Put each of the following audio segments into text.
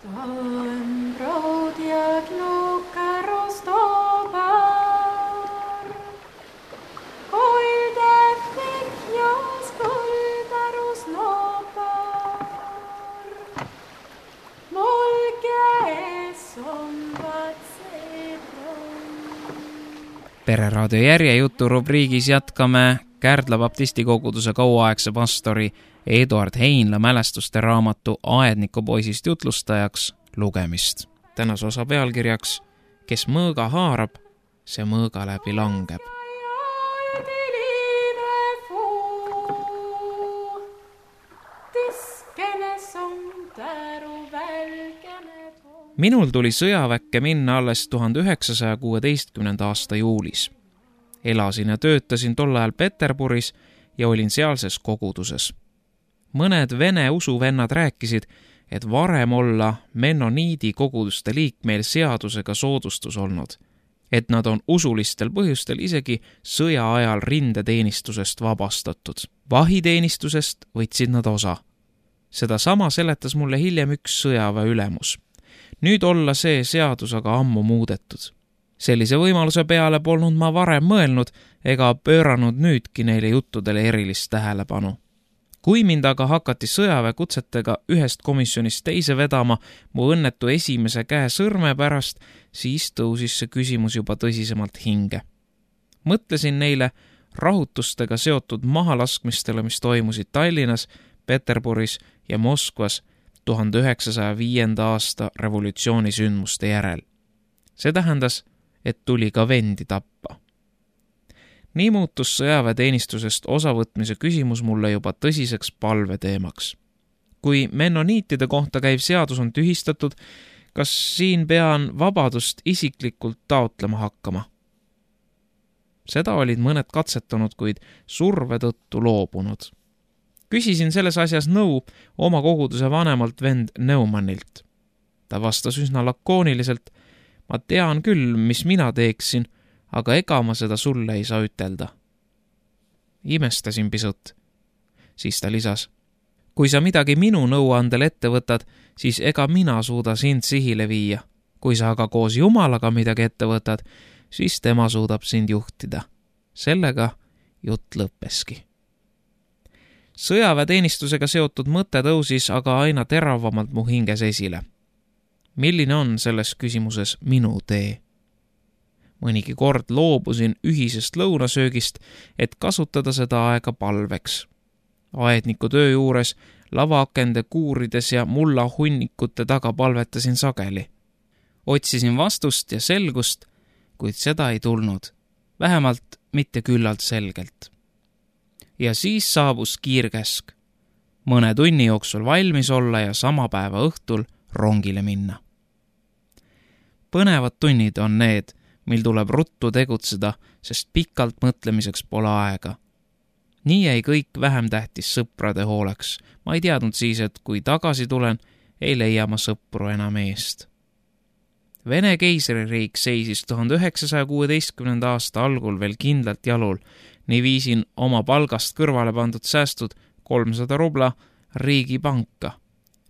Stałem brod jak luka roztobar, kuilde fikjas kulda rusnopar. Mulge esomvad sebron. Pereraadio järjejutu rubriigis jätkame Kärdla baptisti koguduse kauaaegse pastori Eduard Heinla mälestuste raamatu Aednikupoisist jutlustajaks lugemist. Tänase osa pealkirjaks Kes mõõga haarab, see mõõga läbi langeb. Minul tuli sõjaväkke minna alles 1916. aasta juulis. Elasin ja töötasin tol ajal Peterburis ja olin sealses koguduses. Mõned vene usuvennad rääkisid, et varem olla mennoniidi koguduste liikmeil seadusega soodustus olnud, et nad on usulistel põhjustel isegi sõja ajal rindeteenistusest vabastatud. Vahiteenistusest võtsid nad osa. Seda sama seletas mulle hiljem üks sõjaväe ülemus. Nüüd olla see seadus aga ammu muudetud. Sellise võimaluse peale polnud ma varem mõelnud ega pööranud nüüdki neile juttudele erilist tähelepanu. Kui mind aga hakati sõjaväekutsetega ühest komisjonist teise vedama mu õnnetu esimese käe sõrme pärast, siis tõusis see küsimus juba tõsisemalt hinge. Mõtlesin neile rahutustega seotud mahalaskmistele, mis toimusid Tallinnas, Peterburis ja Moskvas 1905. aasta revolutsiooni sündmuste järel. See tähendas, et tuli ka vendi tappa. Nii muutus sõjaväeteenistusest osavõtmise küsimus mulle juba tõsiseks palveteemaks. Kui mennoniitide kohta käiv seadus on tühistatud, kas siin pean vabadust isiklikult taotlema hakkama? Seda olid mõned katsetanud, kuid surve tõttu loobunud. Küsisin selles asjas nõu oma koguduse vanemalt vend Neumannilt. Ta vastas üsna lakooniliselt: ma tean küll, mis mina teeksin, aga ega ma seda sulle ei saa ütelda. Imestasin pisut. Siis ta lisas: kui sa midagi minu nõuandel ette võtad, siis ega mina suuda sind sihile viia. Kui sa aga koos Jumalaga midagi ette võtad, siis tema suudab sind juhtida. Sellega jutt lõppeski. Sõjaväeteenistusega seotud mõte tõusis aga aina teravamalt mu hinges esile. Milline on selles küsimuses minu tee? Mõnigi kord loobusin ühisest lõunasöögist, et kasutada seda aega palveks. Aedniku töö juures, lavaakende kuurides ja mulla hunnikute taga palvetasin sageli. Otsisin vastust ja selgust, kuid seda ei tulnud, vähemalt mitte küllalt selgelt. Ja siis saabus kiirkäsk. Mõne tunni jooksul valmis olla ja sama päeva õhtul rongile minna. Põnevad tunnid on need, mil tuleb ruttu tegutseda, sest pikalt mõtlemiseks pole aega. Nii jäi kõik vähem tähtis sõprade hooleks. Ma ei teadnud siis, et kui tagasi tulen, ei leia ma sõpru enam eest. Vene keisririik seisis 1916. aasta algul veel kindlalt jalul. Nii viisin oma palgast kõrvale pandud säästud 300 rubla riigipanka.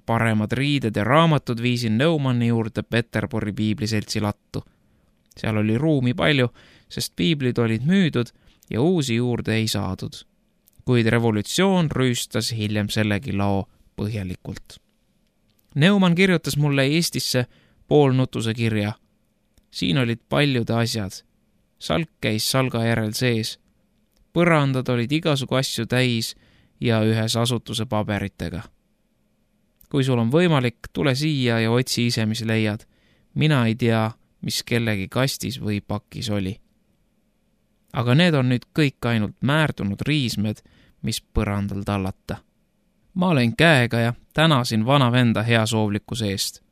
Paremad riided ja raamatud viisin Neumanni juurde Peterburi piibliseltsi lattu. Seal oli ruumi palju, sest piiblid olid müüdud ja uusi juurde ei saadud. Kuid revolutsioon rüüstas hiljem sellegi lao põhjalikult. Neumann kirjutas mulle Eestisse poolnutuse kirja. Siin olid paljude asjad. Salk käis salga järel sees. Põrandad olid igasugu asju täis ja ühes asutuse paberitega. Kui sul on võimalik, tule siia ja otsi ise, mis leiad. Mina ei tea, mis kellegi kastis või pakis oli. Aga need on nüüd kõik ainult määrdunud riismed, mis põrandal tallata. Ma olen käega ja tänasin vana venda heasoovlikkuse eest.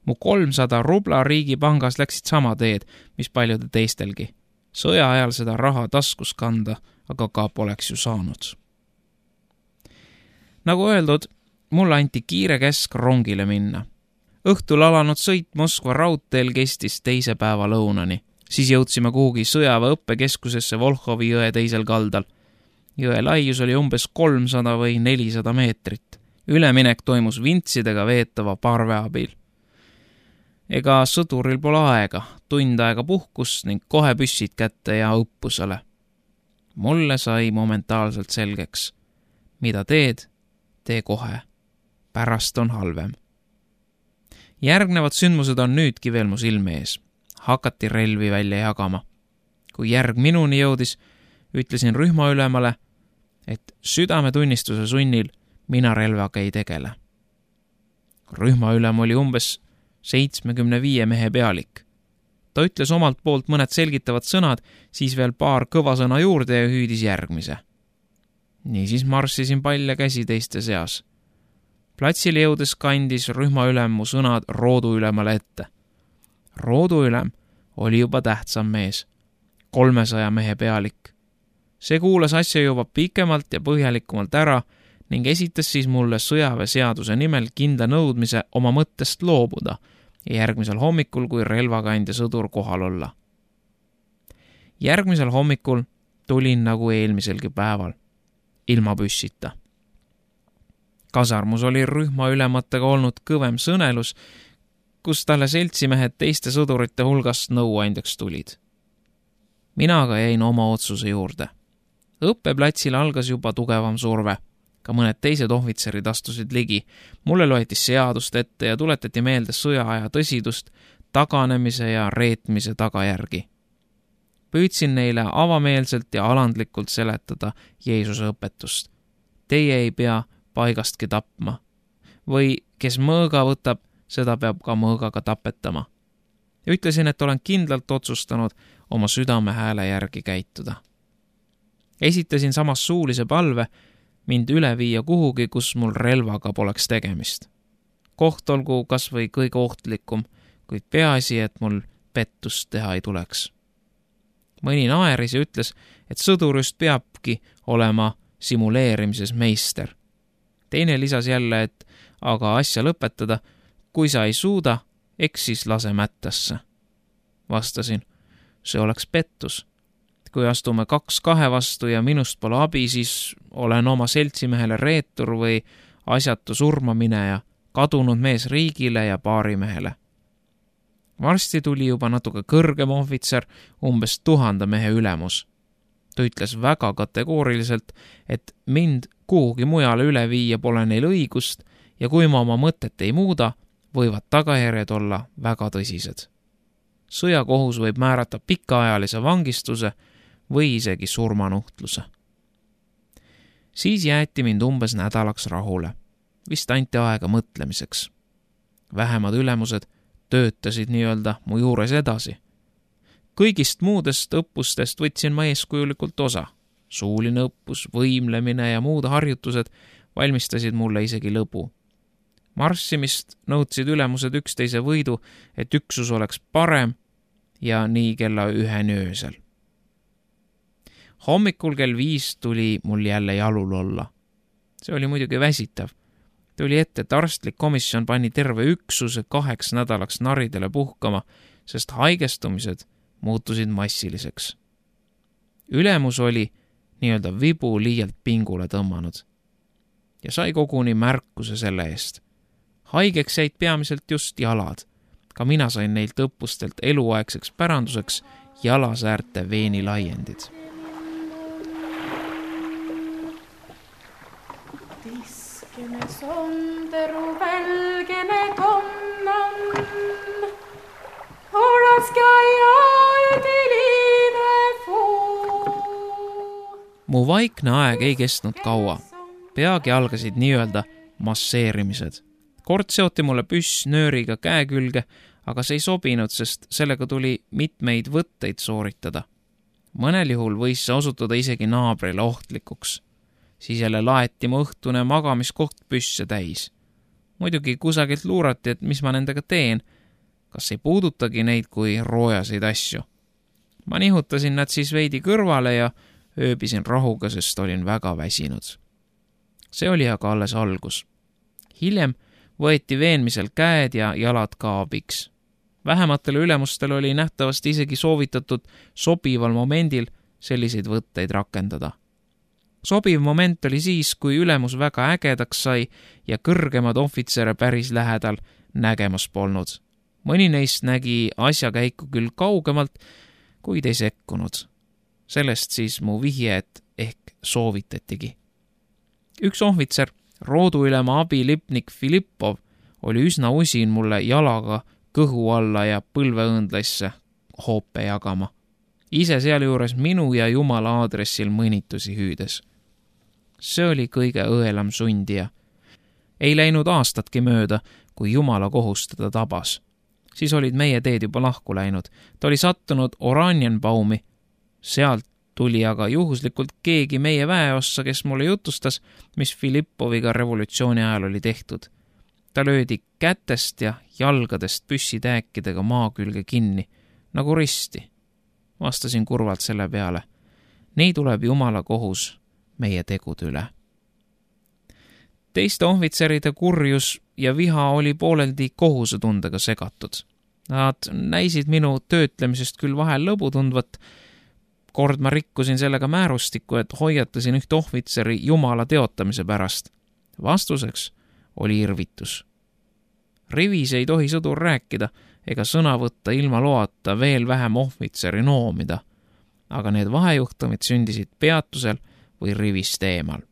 Mu 300 rubla riigipangas läksid sama teed, mis paljude teistelgi. Sõja ajal seda raha taskus kanda, aga ka poleks ju saanud. Nagu öeldud, mulle anti kiire käsk rongile minna. Õhtul alanud sõit Moskva raudteel kestis teise päeva lõunani. Siis jõudsime kuhugi sõjaväe õppekeskusesse Volhovi jõe teisel kaldal. Jõe laius oli umbes 300 või 400 meetrit. Üleminek toimus vintsidega veetava parve abil. ega sõduril pole aega, tund aega puhkust ning kohe püssid kätte ja õppusele. Mulle sai momentaalselt selgeks. Mida teed, tee kohe. Pärast on halvem. Järgnevad sündmused on nüüdki veel mu silme ees. Hakati relvi välja jagama. Kui järg minuni jõudis, ütlesin rühmaülemale, et südametunnistuse sunnil mina relvaga ei tegele. Rühmaülem oli umbes 75 mehe pealik. Ta ütles omalt poolt mõned selgitavad sõnad, siis veel paar kõva sõna juurde ja hüüdis järgmise. Niisiis marssisin palja käsi teiste seas. Platsile jõudes kandis rühmaülem mu sõnad rooduülemale ette. Rooduülem oli juba tähtsam mees, 300 mehe pealik. See kuulas asja juba pikemalt ja põhjalikumalt ära ning esitas siis mulle sõjaväeseaduse nimel kindla nõudmise oma mõttest loobuda ja järgmisel hommikul kui relvakandja sõdur kohal olla. Järgmisel hommikul tulin nagu eelmiselgi päeval, ilma püssita. Kasarmus oli rühmaülematega olnud kõvem sõnelus, kus talle seltsimehed teiste sõdurite hulgast nõuandjaks tulid. Mina aga jäin oma otsuse juurde. Õppeplatsil algas juba tugevam surve. Ka mõned teised ohvitserid astusid ligi. Mulle loeti seadust ette ja tuletati meelde sõjaaja tõsidust, taganemise ja reetmise tagajärgi. Püüdsin neile avameelselt ja alandlikult seletada Jeesuse õpetust. Teie ei pea paigastki tapma. Või kes mõõga võtab, seda peab ka mõõgaga tapetama. Ütlesin, et olen kindlalt otsustanud oma südame hääle järgi käituda. Esitasin samas suulise palve mind üle viia kuhugi, kus mul relvaga poleks tegemist. Koht olgu kas või kõige ohtlikum, kuid peaasi, et mul pettust teha ei tuleks. Mõni naeris ja ütles, et sõdur just peabki olema simuleerimises meister. Teine lisas jälle, et aga asja lõpetada, kui sa ei suuda, eks siis lase mättasse. Vastasin, see oleks pettus. Kui astume 2-2 vastu ja minust pole abi, siis olen oma seltsimehele reetur või asjatu surmamineja, kadunud mees riigile ja baarimehele. Varsti tuli juba natuke kõrgem ohvitser, umbes 1000 mehe ülemus. Ta ütles väga kategooriliselt, et mind kuhugi mujale üle viia pole neil õigust ja kui ma oma mõtet ei muuda, võivad tagajärjed olla väga tõsised. Sõjakohus võib määrata pikaajalise vangistuse või isegi surmanuhtluse. Siis jäeti mind umbes nädalaks rahule. Vist anti aega mõtlemiseks. Vähemad ülemused töötasid nii-öelda mu juures edasi. Kõigist muudest õppustest võtsin ma eeskujulikult osa. Suuline õppus, võimlemine ja muud harjutused valmistasid mulle isegi lõbu. Marssimist nõudsid ülemused üksteise võidu, et üksus oleks parem ja nii kella 1 öösel. Hommikul kell 5 tuli mul jälle jalul olla. See oli muidugi väsitav. Tuli ette, et arstlik komisjon pani terve üksuse 2 nädalaks naridele puhkama, sest haigestumised muutusid massiliseks. Ülemus oli nii-öelda vibu liialt pingule tõmmanud ja sai koguni märkuse selle eest. Haigeks jäid peamiselt just jalad. Ka mina sain neilt õppustelt eluaegseks päranduseks jalasäärte veenilaiendid. Tiskene sonderu välgene tonnan, oraska jaedi liive fuu. Mu vaikne aeg ei kestnud kaua. Peagi algasid nii-öelda masseerimised. Kord seoti mulle püss nööriga käe külge, aga see ei sobinud, sest sellega tuli mitmeid võtteid sooritada. Mõnel juhul võis see osutuda isegi naabrile ohtlikuks. Siis jälle laeti mu õhtune magamiskoht püsse täis. Muidugi kusagilt luurati, et mis ma nendega teen. Kas ei puudutagi neid kui roojaseid asju? Ma nihutasin nad siis veidi kõrvale ja ööbisin rahuga, sest olin väga väsinud. See oli aga alles algus. Hiljem võeti veenmisel käed ja jalad ka abiks. Vähematele ülemustele oli nähtavasti isegi soovitatud sobival momendil selliseid võtteid rakendada. Sobiv moment oli siis, kui ülemus väga ägedaks sai ja kõrgemad ohvitsere päris lähedal nägemas polnud. Mõni neist nägi asjakäiku küll kaugemalt, kuid ei sekkunud. Sellest siis mu vihjed ehk soovitatigi. Üks ohvitser, rooduülema abilipnik Filippov, oli üsna usin mulle jalaga kõhu alla ja põlveõndlaisse hoope jagama. Ise sealjuures minu ja Jumala aadressil mõnitusi hüüdes. See oli kõige õelam sundija. Ei läinud aastatki mööda, kui Jumala kohus teda tabas. Siis olid meie teed juba lahku läinud. Ta oli sattunud Oranienbaumi. Sealt tuli aga juhuslikult keegi meie väeossa, kes mulle jutustas, mis Filippoviga revolutsiooni ajal oli tehtud. Ta löödi kätest ja jalgadest püssitääkidega maa külge kinni, nagu risti. Vastasin kurvalt selle peale. Nii tuleb Jumala kohus meie tegude üle. Teiste ohvitseride kurjus ja viha oli pooleldi kohusetundega segatud. Nad näisid minu töötlemisest küll vahel lõbu tundvat. Kord ma rikkusin sellega määrustikku, et hoiatasin üht ohvitseri Jumala teotamise pärast. Vastuseks oli irvitus. Rivis ei tohi sõdur rääkida ega sõna võtta ilma loata, veel vähem ohvitseri noomida. Aga need vahejuhtumid sündisid peatusel või rivist eemal.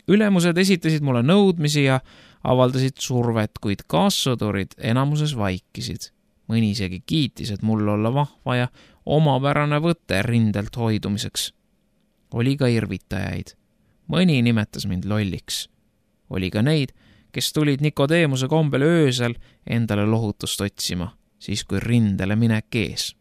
Ülemused esitasid mulle nõudmisi ja avaldasid survet, kuid kaassõdurid enamuses vaikisid. Mõni isegi kiitis, et mul olla vahva ja omapärane võte rindelt hoidumiseks. Oli ka irvitajaid. Mõni nimetas mind lolliks. Oli ka neid, kes tulid Nikodeemuse kombel öösel endale lohutust otsima, siis kui rindele minek ees.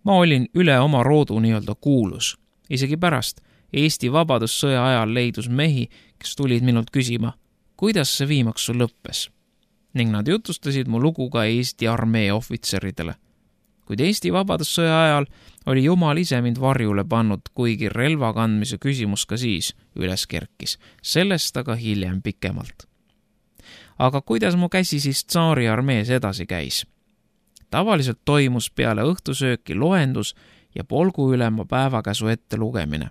Ma olin üle oma roodu nii-öelda kuulus. Isegi pärast Eesti Vabadussõja ajal leidus mehi, kes tulid minult küsima, kuidas see viimaks sul lõppes. Ning nad jutustasid mu lugu ka Eesti armee ohvitseridele. Kuid Eesti Vabadussõja ajal oli Jumal ise mind varjule pannud, kuigi relva kandmise küsimus ka siis üles kerkis. Sellest aga hiljem pikemalt. Aga kuidas mu käsi siis tsaari armees edasi käis? Tavaliselt toimus peale õhtusööki loendus ja polguülema päevakäsu ette lugemine.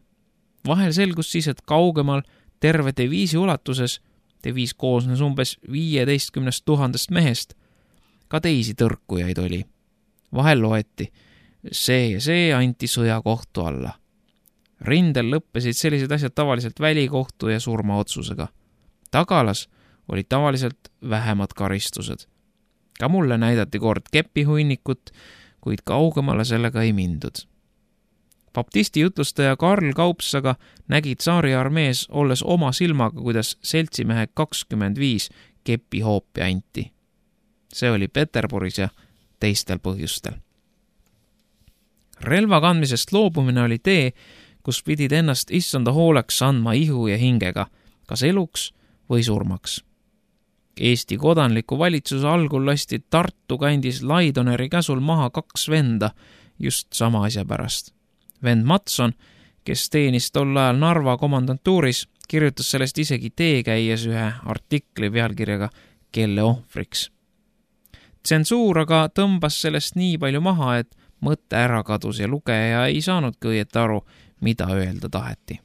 Vahel selgus siis, et kaugemal terve deviisi ulatuses, deviis koosnes umbes 15 000 mehest, ka teisi tõrkujaid oli. Vahel loeti, see ja see anti sõjakohtu alla. Rindel lõppesid sellised asjad tavaliselt välikohtu ja surmaotsusega. Tagalas olid tavaliselt vähemad karistused. Ka mulle näidati kord kepihunnikut, kuid kaugemale sellega ei mindud. Baptisti jutlustaja Karl Kaupsaga nägi tsaari armees olles oma silmaga, kuidas seltsimehe 25 kepihoopi anti. See oli Peterburis ja teistel põhjustel. Relva kandmisest loobumine oli tee, kus pidid ennast issanda hooleks andma ihu ja hingega, kas eluks või surmaks. Eesti kodanliku valitsuse algul lasti Tartu kandis Laidoneri käsul maha 2 venda just sama asja pärast. Vend Matson, kes teenis tol ajal Narva komandantuuris, kirjutas sellest isegi teekäies ühe artikli pealkirjaga Kelle ohvriks. Tsensuur aga tõmbas sellest nii palju maha, et mõte ära kadus ja lugeja ei saanudki õieti aru, mida öelda taheti.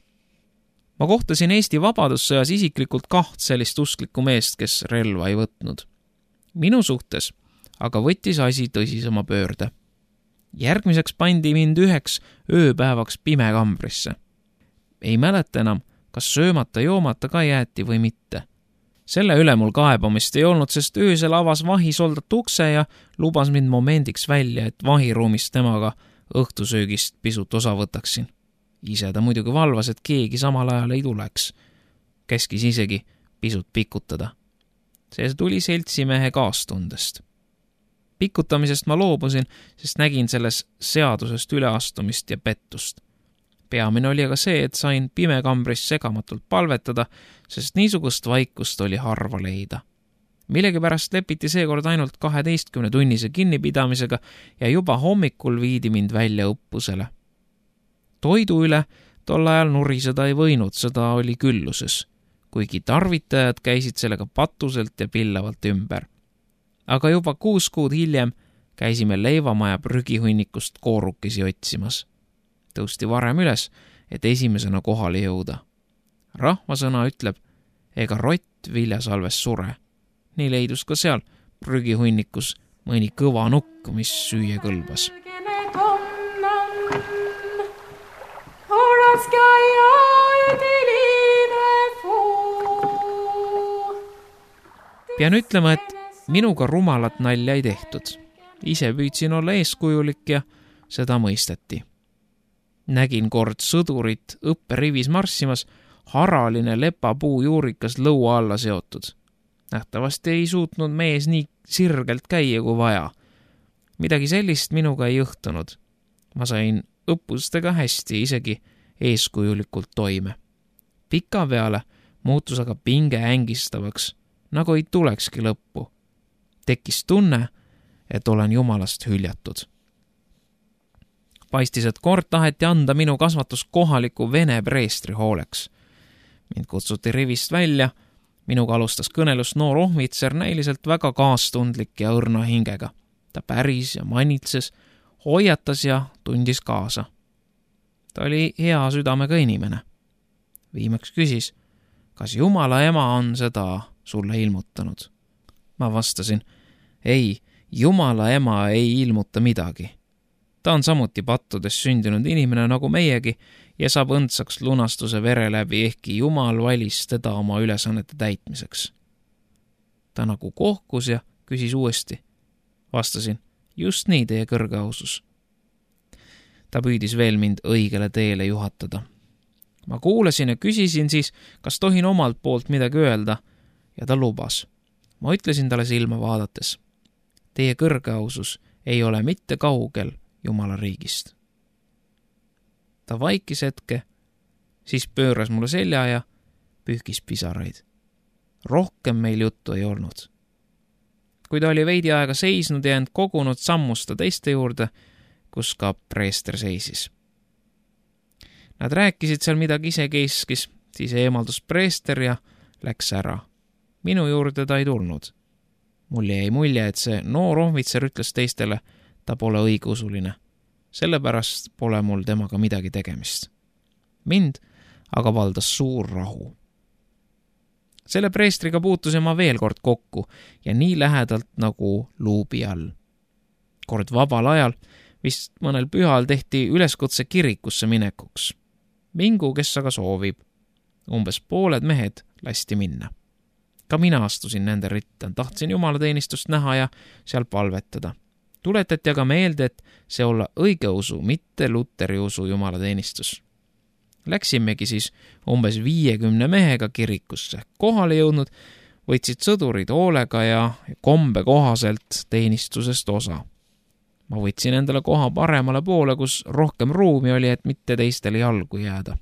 Ma kohtasin Eesti Vabadussõjas isiklikult 2 sellist usklikku meest, kes relva ei võtnud. Minu suhtes aga võttis asi tõsisema pöörde. Järgmiseks pandi mind 1 ööpäevaks pimekambrisse. Ei mäleta enam, kas söömata-joomata ka jäeti või mitte. Selle üle mul kaebamist ei olnud, sest öösel avas vahisoldat ukse ja lubas mind momendiks välja, et vahiruumist temaga õhtusöögist pisut osa võtaksin. Ise ta muidugi valvas, et keegi samal ajal ei tuleks. Käskis isegi pisut pikutada. See tuli seltsimehe kaastundest. Pikutamisest ma loobusin, sest nägin selles seadusest üleastumist ja pettust. Peamine oli aga see, et sain pimekambris segamatult palvetada, sest niisugust vaikust oli harva leida. Millegipärast lepiti seekord ainult 12-tunnise kinnipidamisega ja juba hommikul viidi mind välja õppusele. Toidu üle tol ajal nuriseda ei võinud, seda oli külluses, kuigi tarvitajad käisid sellega patuselt ja pillavalt ümber. Aga juba 6 kuud hiljem käisime leivamaja prügihunnikust koorukesi otsimas. Tõusti varem üles, et esimesena kohale jõuda. Rahvasõna ütleb, ega rott viljasalves sure. Nii leidus ka seal prügihunnikus mõni kõva nukk, mis süüa kõlbas. Pean ütlema, et minuga rumalat nalja ei tehtud. Ise püüdsin olla eeskujulik ja seda mõisteti. Nägin kord sõdurit õpperivis marssimas, haraline lepapuu juurikas lõua alla seotud. Nähtavasti ei suutnud mees nii sirgelt käia kui vaja. Midagi sellist minuga ei õhtunud. Ma sain õppustega hästi, isegi eeskujulikult toime. Pika peale muutus aga pinge ängistavaks, nagu ei tulekski lõppu. Tekkis tunne, et olen Jumalast hüljatud. Paistis, et kord taheti anda minu kasvatus kohaliku vene preestri hooleks. Mind kutsuti rivist välja, minuga alustas kõnelust noor ohvitser, näiliselt väga kaastundlik ja õrna hingega. Ta päris ja manitses, hoiatas ja tundis kaasa. Ta oli hea südamega inimene. Viimaks küsis, kas Jumala ema on seda sulle ilmutanud? Ma vastasin, ei, Jumala ema ei ilmuta midagi. Ta on samuti pattudes sündinud inimene nagu meiegi ja saab õndsaks lunastuse vere läbi, ehkki Jumal valis teda oma ülesannete täitmiseks. Ta nagu kohkus ja küsis uuesti. Vastasin, just nii, teie kõrgeausus. Ta püüdis veel mind õigele teele juhatada. Ma kuulasin ja küsisin siis, kas tohin omalt poolt midagi öelda, ja ta lubas. Ma ütlesin talle silma vaadates. Teie kõrgeausus ei ole mitte kaugel Jumala riigist. Ta vaikis hetke, siis pööras mulle selja ja pühkis pisaraid. Rohkem meil juttu ei olnud. Kui ta oli veidi aega seisnud ja end kogunud, sammus ta teiste juurde, kus ka preester seisis. Nad rääkisid seal midagi isekeskis, siis eemaldus preester ja läks ära. Minu juurde ta ei tulnud. Mul jäi mulje, et see noor ohvitser ütles teistele, ta pole õigeusuline. Sellepärast pole mul temaga midagi tegemist. Mind aga valdas suur rahu. Selle preestriga puutusin ma veel kord kokku ja nii lähedalt nagu luubi all. Kord vabal ajal, vist mõnel pühal tehti üleskutse kirikusse minekuks. Mingu, kes aga soovib. Umbes pooled mehed lasti minna. Ka mina astusin nende ritta, tahtsin jumalateenistust näha ja seal palvetada. Tuletati aga meelde, et see olla õigeusu, mitte Luteri usu jumalateenistus. Läksimegi siis umbes 50 mehega kirikusse. Kohale jõudnud võtsid sõdurid hoolega ja kombe kohaselt teenistusest osa. Ma võtsin endale koha paremale poole, kus rohkem ruumi oli, et mitte teistele jalgu jääda.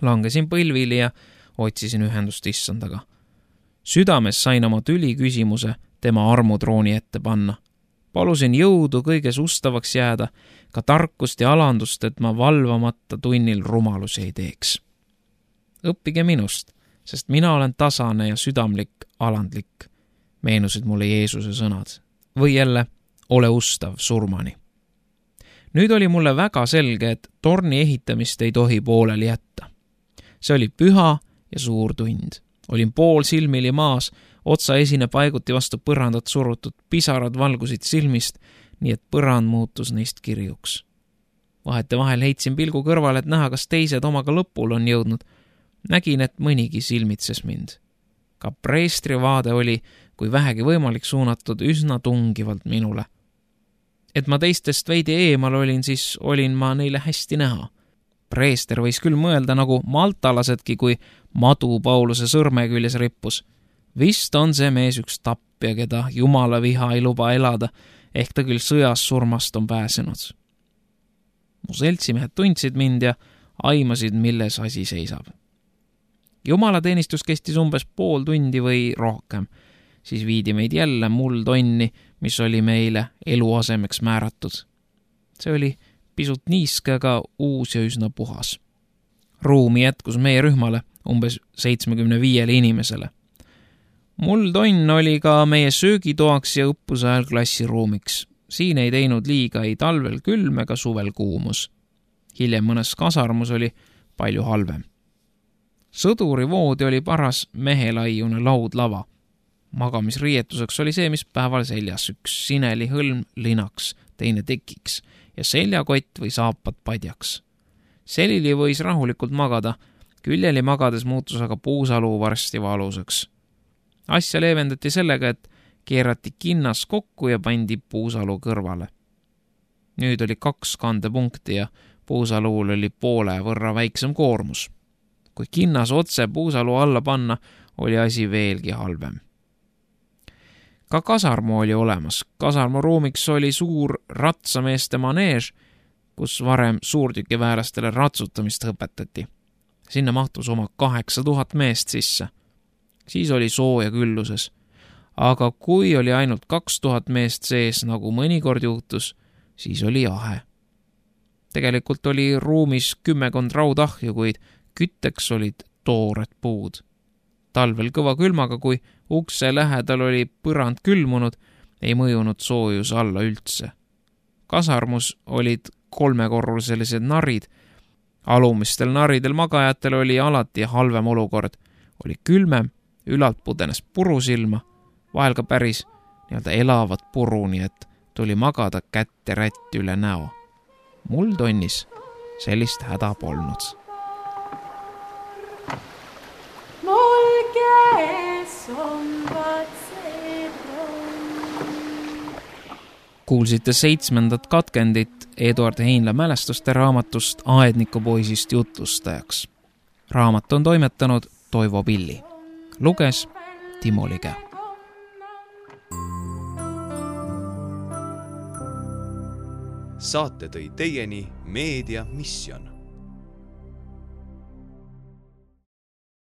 Langesin põlvili ja otsisin ühendust issandaga. Südames sain oma tüli küsimuse tema armutrooni ette panna. Palusin jõudu kõiges ustavaks jääda, ka tarkust ja alandust, et ma valvamata tunnil rumalusi ei teeks. Õppige minust, sest mina olen tasane ja südamlik, alandlik, meenusid mulle Jeesuse sõnad. Või jälle, ole ustav surmani. Nüüd oli mulle väga selge, et torni ehitamist ei tohi pooleli jätta. See oli püha ja suur tund. Olin pool silmili maas, otsa esine paiguti vastu põrandat surutud, pisarad valgusid silmist, nii et põrand muutus neist kirjuks. Vahetevahel heitsin pilgu kõrvale, et näha, kas teised omaga lõpul on jõudnud. Nägin, et mõnigi silmitses mind. Ka preestri vaade oli, kui vähegi võimalik, suunatud üsna tungivalt minule. Et ma teistest veidi eemal olin, siis olin ma neile hästi näha. Preester võis küll mõelda nagu maltalasedki, kui madu Pauluse sõrme küljes rippus. Vist on see mees üks tappja, keda Jumala viha ei luba elada, ehk ta küll sõjas surmast on pääsenud. Mu seltsimehed tundsid mind ja aimasid, milles asi seisab. Jumalateenistus kestis umbes pool tundi või rohkem. Siis viidi meid jälle muldonni, mis oli meile eluasemeks määratud. See oli pisut niiske, aga uus ja üsna puhas. Ruumi jätkus meie rühmale umbes 75 inimesele. Muldonn oli ka meie söögitoaks ja õppuse ajal klassiruumiks. Siin ei teinud liiga ei talvel külm ega suvel kuumus. Hiljem mõnes kasarmus oli palju halvem. Sõduri voodi oli paras mehelaiune laudlava. Magamisriietuseks oli see, mis päeval seljas, üks sineli hõlm linaks, teine tekiks ja seljakott või saapad padjaks. Selili võis rahulikult magada, Küljeli magades muutus aga puusalu varsti valuseks. Asja leevendati sellega, et keerati kinnas kokku ja pandi puusalu kõrvale. Nüüd oli 2 kandepunkti ja puusaluul oli poole võrra väiksem koormus. Kui kinnas otse puusalu alla panna, oli asi veelgi halvem. Ka kasarmu oli olemas. Kasarmu ruumiks oli suur ratsameeste maneež, kus varem suurtükiväelastele ratsutamist õpetati. Sinna mahtus oma 8000 meest sisse. Siis oli sooja külluses. Aga kui oli ainult 2000 meest sees, nagu mõnikord juhtus, siis oli jahe. Tegelikult oli ruumis 10 raudahju, kuid kütteks olid toored puud. Talvel kõva külmaga, kui ukse lähedal oli põrand külmunud, ei mõjunud soojus alla üldse. Kasarmus olid 3-korruselised narid. Alumistel naridel magajatel oli alati halvem olukord. Oli külmem, ülalt pudenes purusilma, vahel ka päris elavat puru, nii et tuli magada kätte rätt üle näo. Mul tonnis sellist häda polnud. Mul käes on Kuulsite 7. katkendit Eduard Heinla mälestuste raamatust Aednikupoisist jutlustajaks. Raamat on toimetanud Toivo Pilli. Luges Timo Lige. Saate tõi teieni Meedia Mission.